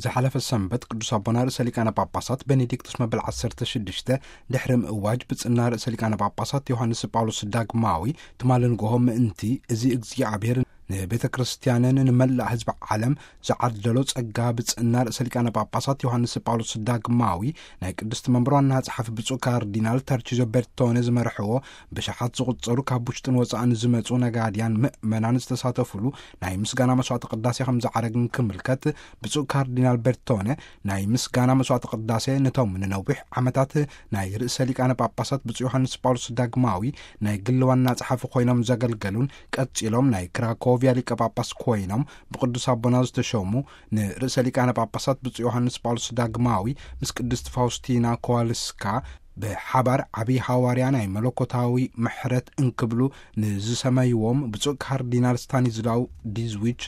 ዝሓለፈ ሰንበት ቅዱስ ኣቦና ርእሰ ሊቃነ ጳጳሳት ቤኔዲክቱስ መበል ዓሰርተ ሽዱሽተ ድሕሪ ምእዋጅ ብጽና ርእሰ ሊቃነ ጳጳሳት ዮሃንስ ጳውሎስ ዳግማዊ ትማሊ ንግሆ ምእንቲ እዚ እግዚኣብሔር ንቤተ ክርስቲያንን ንመላእ ህዝቢ ዓለም ዝዓደሎ ጸጋ ብጽና ርእሰ ሊቃነ ጳጳሳት ዮሃንስ ጳውሎስ ዳግማዊ ናይ ቅድስቲ መንበር ዋና ጸሓፊ ብፁዕ ካርዲናል ተርቺዞ ቤርቶነ ዝመርሕዎ ብሽሓት ዝቑጸሩ ካብ ውሽጥን ወጻእን ዝመጹ ነጋድያን ምእመናን ዝተሳተፉሉ ናይ ምስጋና መስዋዕተ ቅዳሴ ከም ዝዓረግን ክምልከት ብፁዕ ካርዲናል ቤርቶነ ናይ ምስጋና መስዋዕተ ቅዳሴ ነቶም ንነዊሕ ዓመታት ናይ ርእሰ ሊቃነ ጳጳሳት ብፁዕ ዮሃንስ ጳውሎስ ዳግማዊ ናይ ግሊ ዋና ጸሓፊ ኮይኖም ዘገልገሉን ቀጺሎም ናይ ክራኮቪያ ሊቀ ጳጳስ ኮይኖም ብቅዱስ ኣቦና ዝተሾሙ ንርእሰ ሊቃነ ጳጳሳት ብፁዕ ዮሃንስ ጳውሎስ ዳግማዊ ምስ ቅድስት ፋውስቲና ኮዋልስካ ብሓባር ዓብዪ ሃዋርያ ናይ መለኮታዊ ምሕረት እንክብሉ ንዝሰመይዎም ብፁዕ ካርዲናል ስታኒዝላው ዲዝዊች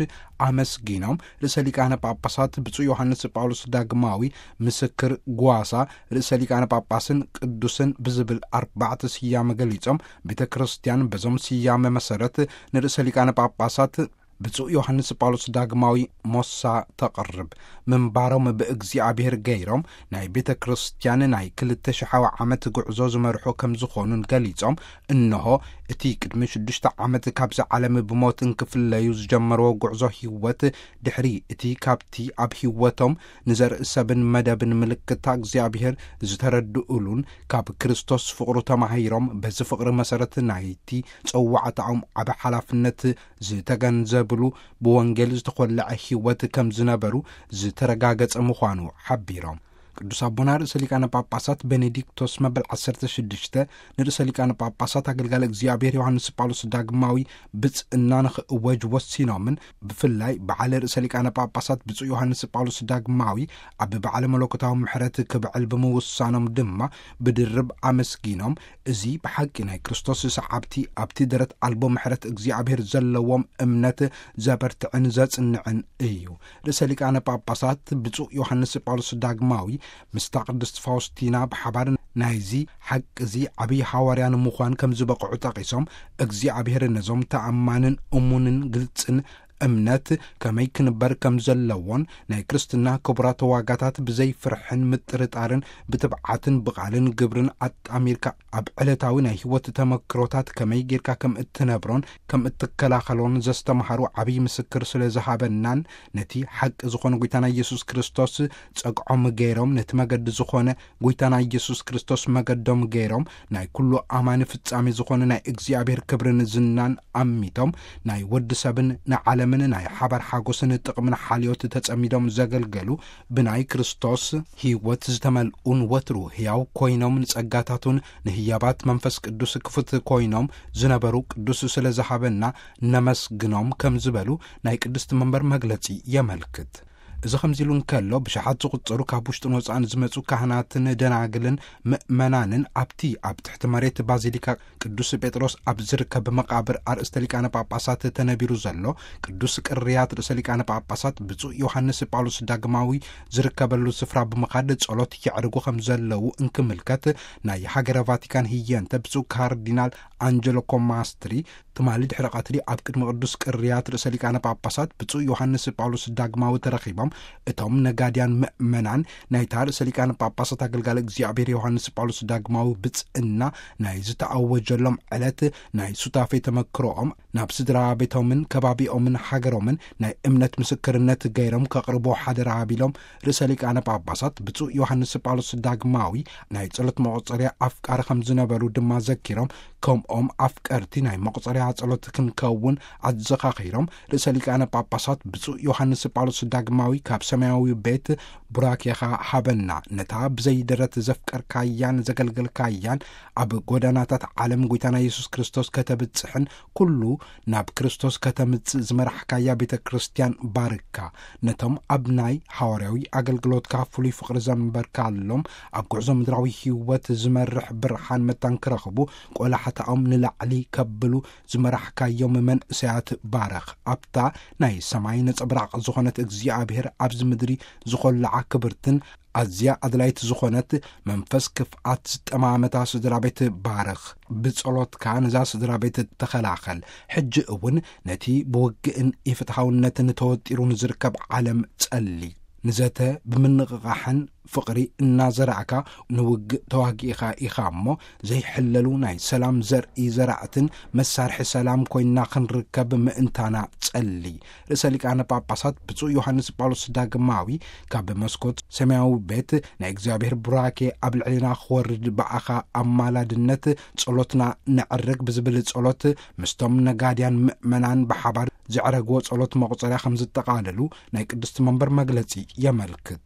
ኣመስጊኖም፣ ርእሰ ሊቃነ ጳጳሳት ብፁዕ ዮሃንስ ጳውሎስ ዳግማዊ ምስክር ጓሳ ርእሰ ሊቃነ ጳጳስን ቅዱስን ብዝብል ኣርባዕተ ስያመ ገሊጾም፣ ቤተ ክርስቲያን በዞም ስያመ መሰረት ንርእሰ ሊቃነ ጳጳሳት ብፁዕ ዮሃንስ ጳውሎስ ዳግማዊ ሞሳ ተቕርብ ምንባሮም ብእግዚኣብሔር ገይሮም ናይ ቤተ ክርስቲያን ናይ ክልተ ሽሓዊ ዓመት ጉዕዞ ዝመርሑ ከም ዝኾኑን ገሊጾም፣ እንሆ እቲ ቅድሚ ሽዱሽተ ዓመት ካብዚ ዓለም ብሞት እንክፍለዩ ዝጀመርዎ ጉዕዞ ህይወት ድሕሪ እቲ ካብቲ ኣብ ህይወቶም ንዘርኢ ሰብን መደብን ምልክታ እግዚኣብሔር ዝተረድኡሉን ካብ ክርስቶስ ፍቕሩ ተማሂሮም በዚ ፍቕሪ መሰረት ናይቲ ጸዋዕታኦም ዓቢ ሓላፍነት ዝተገንዘብሉ ብወንጌል ዝተኾለዐ ህይወት ከም ዝነበሩ ዝተረጋገጸ ምዃኑ ሓቢሮም። ቅዱስ ኣቦና ርእሰ ሊቃነ ጳጳሳት ቤኔዲክቶስ መበል ዓሰርተ ሽዱሽተ ንርእሰ ሊቃነ ጳጳሳት ኣገልጋሊ እግዚኣብሔር ዮሃንስ ጳውሎስ ዳግማዊ ብጽእና ንኽእወጅ ወሲኖምን ብፍላይ በዓል ርእሰ ሊቃነ ጳጳሳት ብፁዕ ዮሃንስ ጳውሎስ ዳግማዊ ኣብ በዓለ መለኮታዊ ምሕረት ክብዕል ብምውሳኖም ድማ ብድርብ ኣመስጊኖም፣ እዚ ብሓቂ ናይ ክርስቶስ ሰዓብቲ ኣብቲ ደረት ኣልቦ ምሕረት እግዚኣብሔር ዘለዎም እምነት ዘበርትዕን ዘጽንዕን እዩ። ርእሰ ሊቃነ ጳጳሳት ብፁዕ ዮሃንስ ጳውሎስ ዳግማዊ ምስታ ቅድስት ፋውስቲና ብሓባር ናይዚ ሓቂ እዚ ዓብዪ ሃዋርያ ንምዃን ከም ዝበቕዑ ጠቒሶም፣ እግዚኣብሔር ነዞም ተኣማንን እሙንን ግልጽን እምነት ከመይ ክንበር ከም ዘለዎን ናይ ክርስትና ክቡራት ዋጋታት ብዘይ ፍርሕን ምጥርጣርን ብትብዓትን ብቓልን ግብርን ኣጣሚርካ ኣብ ዕለታዊ ናይ ህይወት ተመክሮታት ከመይ ጌርካ ከም እትነብሮን ከም እትከላኸሎን ዘስተምሃሩ ዓብዪ ምስክር ስለ ዝሃበናን ነቲ ሓቂ ዝኾነ ጐይታና ኢየሱስ ክርስቶስ ጸግዖም ገይሮም ነቲ መገዲ ዝኾነ ጐይታና ኢየሱስ ክርስቶስ መገዶም ገይሮም ናይ ኩሉ ኣማኒ ፍጻሜ ዝኾነ ናይ እግዚኣብሔር ክብርን ዝናን ኣሚቶም ናይ ወዲ ሰብን ንዓለምን ናይ ሓባር ሓጎስን ጥቕምን ሓልዮት ተጸሚዶም ዘገልገሉ ብናይ ክርስቶስ ህይወት ዝተመልኡን ወትሩ ሕያው ኮይኖም ንጸጋታቱን ንህያባት መንፈስ ቅዱስ ክፉት ኮይኖም ዝነበሩ ቅዱስ ስለ ዝሃበና ነመስግኖም ከም ዝበሉ ናይ ቅድስቲ መንበር መግለጺ የመልክት። እዚ ከምዚ ኢሉ እንከሎ ብሽሓት ዝቑጸሩ ካብ ውሽጥን ወጻእን ዝመጹ ካህናትን ደናግልን ምእመናንን ኣብቲ ኣብ ትሕቲ መሬት ባዚሊካ ቅዱስ ጴጥሮስ ኣብ ዝርከብ መቓብር ኣርእስተ ሊቃነ ጳጳሳት ተነቢሩ ዘሎ ቅዱስ ቅርያት ርእሰ ሊቃነ ጳጳሳት ብፁዕ ዮሃንስ ጳውሎስ ዳግማዊ ዝርከበሉ ስፍራ ብምኻድ ጸሎት የዕርጉ ከም ዘለዉ እንክምልከት ናይ ሃገረ ቫቲካን ህየንተ ብፁዕ ካርዲናል ኣንጀሎ ኮማስትሪ ትማሊ ድሕሪ ቀትሪ ኣብ ቅድሚ ቅዱስ ቅርያት ርእሰ ሊቃነ ጳጳሳት ብፁዕ ዮሃንስ ጳውሎስ ዳግማዊ ተረኺቦም እቶም ነጋድያን ምእመናን ናይታ ርእሰ ሊቃነ ጳጳሳት ኣገልጋሊ እግዚኣብሔር ዮሃንስ ጳውሎስ ዳግማዊ ብጽእና ናይ ዝተኣወጀሎም ዕለት ናይ ሱታፌ ተመክሮኦም ናብ ስድራ ቤቶምን ከባቢኦምን ሃገሮምን ናይ እምነት ምስክርነት ገይሮም ከቕርቦ ሓደራ ሃቢሎም ርእሰ ሊቃነ ጳጳሳት ብፁዕ ዮሃንስ ጳውሎስ ዳግማዊ ናይ ጸሎት መቑጸርያ ኣፍቃሪ ከም ዝነበሩ ድማ ዘኪሮም ከምኦም ኣፍቀርቲ ናይ መቑጸርያ ጸሎት ክንከውን ኣዘኻኺሮም ርእሰ ሊቃነ ጳጳሳት ብፁዕ ዮሃንስ ጳውሎስ ዳግማዊ ካብ ሰማያዊ ቤት ቡራኬኻ ሃበና ነታ ብዘይደረት ዘፍቀርካያን ዘገልገልካያን ኣብ ጎዳናታት ዓለም ጐይታና የሱስ ክርስቶስ ከተብጽሕን ኩሉ ናብ ክርስቶስ ከተምጽእ ዝመራሕካያ ቤተ ክርስቲያን ባርካ። ነቶም ኣብ ናይ ሃዋርያዊ ኣገልግሎትካ ፍሉይ ፍቕሪ ዘንበርካሎም ኣብ ጉዕዞ ምድራዊ ህይወት ዝመርሕ ብርሃን መታን ክረኽቡ ቆላሕታኦም ንላዕሊ ከብሉ ዝመራሕካዮም መንእሰያት ባርኽ። ኣብታ ናይ ሰማይ ነጸብራቕ ዝኾነት እግዚኣብሔር ኣብዚ ምድሪ ዝኾላዓ ክብርትን ኣዝያ ኣድላይት ዝኾነት መንፈስ ክፍኣት ዝጠማመታ ስድራ ቤት ባርኽ። ብጸሎትካ ነዛ ስድራ ቤት ተኸላኸል። ሕጂ እውን ነቲ ብውግእን ኢፍትሓውነትን ተወጢሩ ንዝርከብ ዓለም ጸሊ። ንዘተ ብምንቕቓሕን ፍቕሪ እናዘራዕካ ንውግእ ተዋጊእኻ ኢኻ እሞ፣ ዘይሕለሉ ናይ ሰላም ዘርኢ ዘራእትን መሳርሒ ሰላም ኮይንና ክንርከብ ምእንታና ጸሊ። ርእሰ ሊቃነ ጳጳሳት ብፁዕ ዮሃንስ ጳውሎስ ዳግማዊ ካብ መስኮት ሰማያዊ ቤት ናይ እግዚኣብሔር ቡራኬ ኣብ ልዕሌና ክወርድ ብኣኻ ኣማላድነት ጸሎትና ነዕርግ ብዝብል ጸሎት ምስቶም ነጋድያን ምእመናን ብሓባር ዘዕረግዎ ጸሎት መቑጸርያ ከም ዝጠቓለሉ ናይ ቅድስቲ መንበር መግለጺ የመልክት።